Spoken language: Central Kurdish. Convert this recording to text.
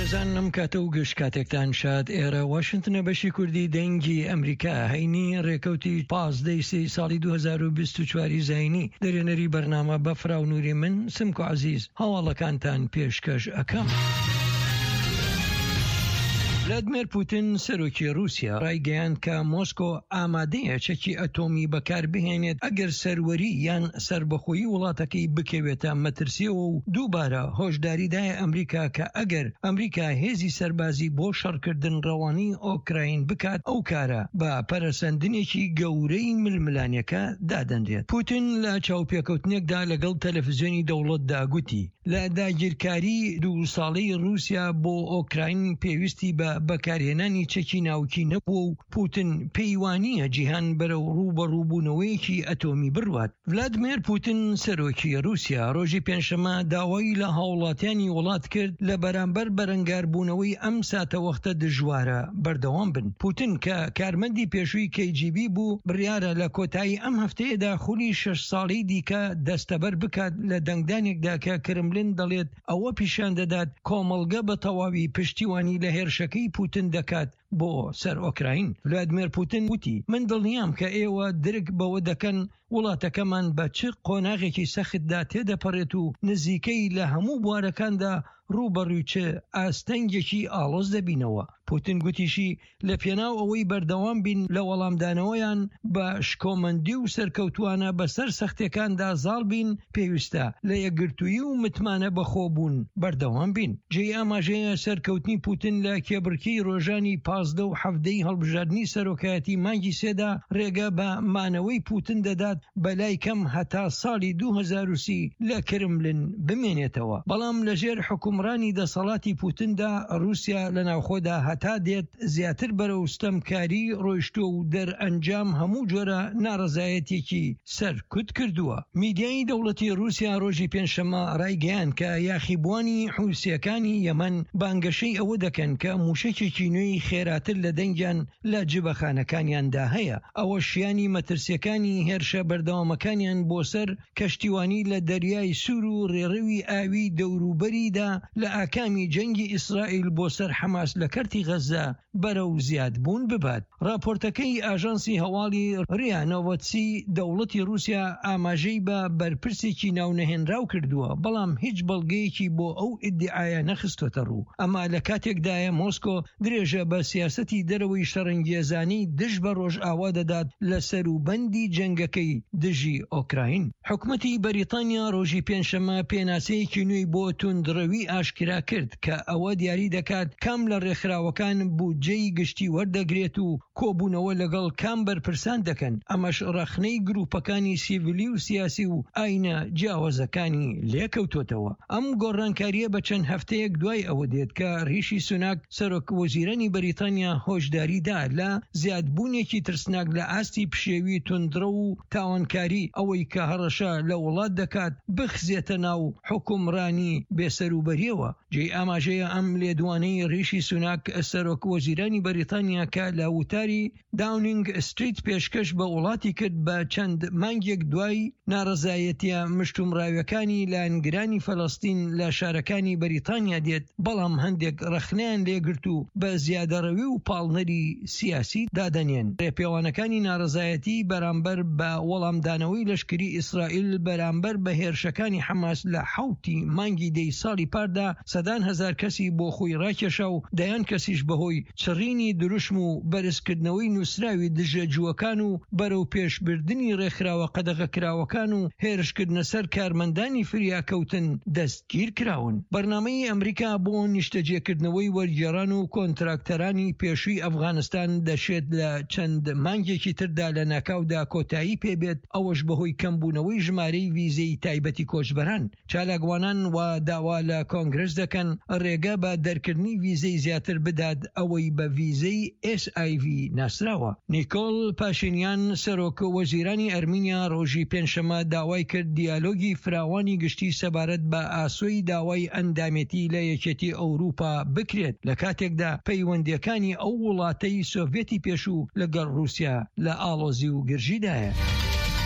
بەڕێزان ئەم کاتە و گشت کاتێکتان شاد ئێرە واشنتنە بەشی کوردی دەنگی ئەمریکا هەینی ڕێکەوتی پازدەی سێی ساڵی 2024 زینی دەرێنەری بەرنامە بەفراو نوری من سمکۆ عەزیز هەواڵەکانتان پێشکەش ئەکەم. ڤلادمێر پوتین سەرۆکی ڕووسیا ڕایگەیاند کە مۆسکۆ ئامادەیە چەکی ئەتۆمی بەکاربهێنێت ئەگەر سەروەری یان سەربەخۆیی وڵاتەکەی بکەوێتە مەترسیەوە و دووبارە هۆشداری دایە ئەمریکا کە ئەگەر ئەمریکا هێزی سەربازی بۆ شەڕکردن ڕەوانەی ئۆکراین بکات ئەو کارە بە پەرەسەندنێکی گەورەی ململانێکە دادەنرێت. پوتین لە چاوپێکەوتنێکدا لەگەڵ تەلەفزیۆنی دەوڵەتدا گوتی، لە داگیرکاریی دوو ساڵەی ڕووسیا بۆ ئۆکراین پێویستی بە بەکارهێنانی چەکی ناوکی نەبووە و پوتن پێی وانییە جیهان بەرەو ڕووبەڕووبوونەوەیەکی ئەتۆمی بڕوات. ڤلادمێر پوتن سەرۆکی ڕووسیا ڕۆژی پێنجشەممە داوای لە هاوڵاتیانی وڵات کرد لە بەرامبەر بەرەنگاربوونەوەی ئەم ساتەوەختە دژوارە بەردەوام بن. پوتن کە کارمەندی پێشووی کەی جی بی بوو، بڕیارە لە کۆتایی ئەم هەفتەیەدا خولی شەش ساڵەی دیکە دەستەبەر بکات لە دەنگدانێکدا کە کرملن دەڵێت ئەوە پیشان دەدات کۆمەڵگە بە تەواوی پشتیوانی لە هێرشەکەی پوتن دەکات بۆ سەر ئۆکراین. ڤلادمێر پوتن وتی، من دڵنیام کە ئێوە درک بەوە دەکەن وڵاتەکەمان بە چ قۆناغێکی سەختدا تێدەپەڕێت و نزیکەی لە هەموو بوارەکاندا ڕووبەڕووی چ ئاستەنگێکی ئاڵۆز دەبینەوە. پوتن گوتیشی، لە پێناو ئەوەی بەردەوام بین لە وەڵامدانەوەیان بە شکۆمەندی و سەرکەوتووانە بەسەر سەختیەکاندا زاڵ بین، پێویستە لە یەکگرتوویی و متمانە بەخۆبوون بەردەوام بین. جێی ئاماژەیە سەرکەوتنی پوتن لە کێبڕکێی ڕۆژانی 15 و 17 ی هەڵبژاردنی سەرۆکایەتی مانگی سێدا ڕێگە بە مانەوەی پوتن دەدات بەلای کەم هەتا ساڵی 2030 لە کرملن بمێنێتەوە، بەڵام لەژێر حوکمڕانی دەسەڵاتی پوتندا ڕووسیا لە ناوخۆدا هەتا دێت زیاتر بەرەو ستەمکاری ڕۆیشتووە و دەرئەنجام هەموو جۆرە ناڕەزایەتیەکی سەرکوت کردووە. میدیای دەوڵەتی ڕووسیا ڕۆژی پێنجشەممە ڕایگەیاند کە یاخیبووانی حوسییەکانی یەمەن بانگەشەی ئەوە دەکەن کە مووشەکێکی نوێی خێراتر لە دەنگیان لە جبەخانەکانیاندا هەیە، ئەوەش شیانی مەترسییەکانی هێرشە بەردەوامەکانیان بۆ سەر کەشتیوانی لە دەریای سوور و ڕێڕەوی ئاویی دەوروبەریدا لە ئاکامی جەنگی ئیسرائیل بۆ سەر حەماس لە کەرتی غەززە بەرەو زیادبوون ببات. ڕاپۆرتەکەی ئاژانسی هەواڵی ریا نۆڤۆتسی دەوڵەتی ڕووسیا ئاماژەی بە بەرپرسێکی ناونەهێنراو کردووە، بەڵام هیچ بەڵگەیەکی بۆ ئەو ئیدیعایە نەخستۆتەڕوو. ئەمە لە کاتێکدایە مۆسکۆ درێژە بە سیاسەتی دەرەوەی شەڕەنگێزانەی دژ بە ڕۆژئاوا دەدات لە سەروبەندی جەنگەکەی دژی ئۆکراین. حکومەتی بەریتانیا ڕۆژی پێنجشەممە پێناسەیەکی نوێی بۆ توندڕەوی ئاشکرا کرد کە ئەوە دیاری دەکات کام لە ڕێکخراوەکان بودجەی گشتی وەردەگرێت و کۆبوونەوە لەگەڵ کام بەرپرسان دەکەن، ئەمەش ڕەخنەی گروپەکانی سیڤیلی و سیاسی و ئاینە جیاوازەکانی لێکەوتۆتەوە. ئەم گۆڕانکارییە بە چەند هەفتەیەک دوای ئەوە دێت کە ریشی سوناک سەرۆک وەزیرانی بەریتانیا هۆشداری دا لە زیادبوونێکی ترسناک لە ئاستی پشێوی توندڕەو و تاوانکاری، ئەوەی کە هەڕەشە لە وڵات دەکات بخزێتە ناو حوکمڕانی بێسەروبەرییەوە. جێی ئاماژەیە ئەم لێدوانەی ریشی سوناک سەرۆک وەزیرانی بەریتانیا کە لە وتاری داونینگ ستریت پێشکەش بە وڵاتی کرد بە چەند مانگێک دوای ناڕەزایەتیە مشتومڕاویەکانی لایەنگرانی فەلەستین لە شارەکانی بەریتانیا دێت، بەڵام هەندێک ڕەخنەیان لێگرت و بە زیادەڕەوی و پاڵنەری سیاسی دادەنێن. ڕێپێوانەکانی ناڕەزایەتی بەرامبەر بە وەڵامدانەوەی لەشکری ئیسرائیل بەرامبەر بە هێرشەکانی حەماس لە حەوتی مانگی دەی ساڵی پاردا سەدان هەزار کەسی بۆ خۆی ڕاکێشا و دەیان کەسیش بەهۆی چڕینی دروشم و بەرزکردنەوەی نووسراوی دژە جووەکان و بەرەوپێشبردنی ڕێکخراوە قەدەغەکراوەکان و هێرشکردنە سەر کارمەندانی فریاکەوتن دەستگیرکراون. بەرنامەی ئەمریکا بۆ نیشتەجێکردنەوەی وەرگێڕان و کۆنتراکتەرانی پێشووی ئەفغانستان دەشێت لە چەند مانگێکی تردا لەناکاودا کۆتایی پێبێت، ئەوەش بەهۆی کەمبوونەوەی ژمارەی ڤیزەی تایبەتی کۆچبەران. چالاکوانان وا داوا لە کۆنگرس دەکەن ڕێگە بە دەرکردنی ڤیزەی زیاتر بدات ئەوەی بە ڤیزەی SIV ناسراوە. نیکۆل پاشینیان سەرۆک وەزیرانی ئەرمینیا ڕۆژی پێنجشەممە داوای کرد دیالۆگی فراوانی گشتی سەبارەت بە ئاسۆی داوای ئەندامێتی لە یەکێتی ئەوروپا بکرێت لە کاتێکدا پەیوەندییەکانی ئەو وڵاتەی سۆڤێتی پێشوو لەگەڵ ڕووسیا لە ئاڵۆزی و گرژیدایە.